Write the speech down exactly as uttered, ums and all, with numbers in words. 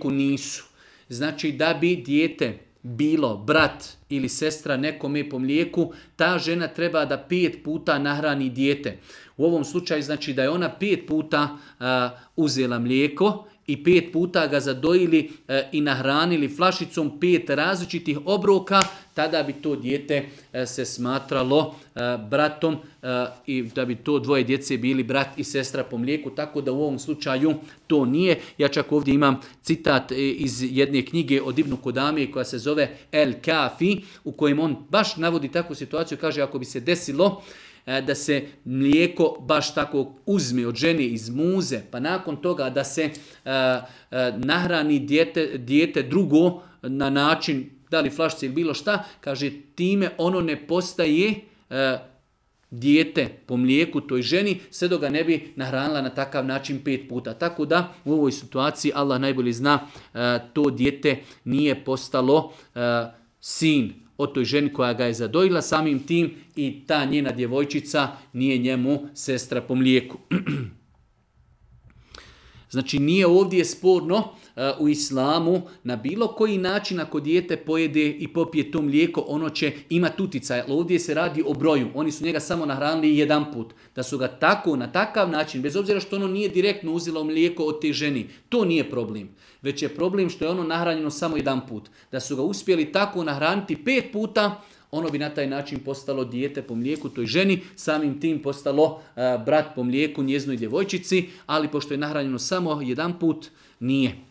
nisu. Znači da bi dijete bilo brat ili sestra nekome po mlijeku, ta žena treba da pet puta nahrani dijete. U ovom slučaju znači da je ona pet puta uh, uzela mlijeko i pet puta ga zadojili uh, i nahranili flašicom pet različitih obroka, tada bi to dijete uh, se smatralo uh, bratom uh, i da bi to dvoje djece bili brat i sestra po mlijeku, tako da u ovom slučaju to nije. Ja čak ovdje imam citat iz jedne knjige od Ibnu Kudame koja se zove El Kafi, u kojem on baš navodi takvu situaciju, kaže ako bi se desilo da se mlijeko baš tako uzme od žene iz muze, pa nakon toga da se uh, uh, nahrani dijete, dijete drugo na način, da li flašice ili bilo šta, kaže time ono ne postaje uh, dijete po mlijeku toj ženi, sve dok ga ne bi nahranila na takav način pet puta. Tako da u ovoj situaciji Allah najbolje zna, uh, to dijete nije postalo uh, sin od toj ženi koja ga je zadojila, samim tim i ta njena djevojčica nije njemu sestra po mlijeku. Znači nije ovdje sporno uh, u islamu na bilo koji način ako dijete pojede i popije to mlijeko, ono će imati utjecaj. Ovdje se radi o broju. Oni su njega samo nahranili jedan put. Da su ga tako, na takav način, bez obzira što ono nije direktno uzelo mlijeko od te ženi, to nije problem. Već je problem što je ono nahranjeno samo jedan put. Da su ga uspjeli tako nahraniti pet puta, ono bi na taj način postalo dijete po mlijeku toj ženi, samim tim postalo uh, brat po mlijeku njeznoj djevojčici, ali pošto je nahranjeno samo jedan put, nije.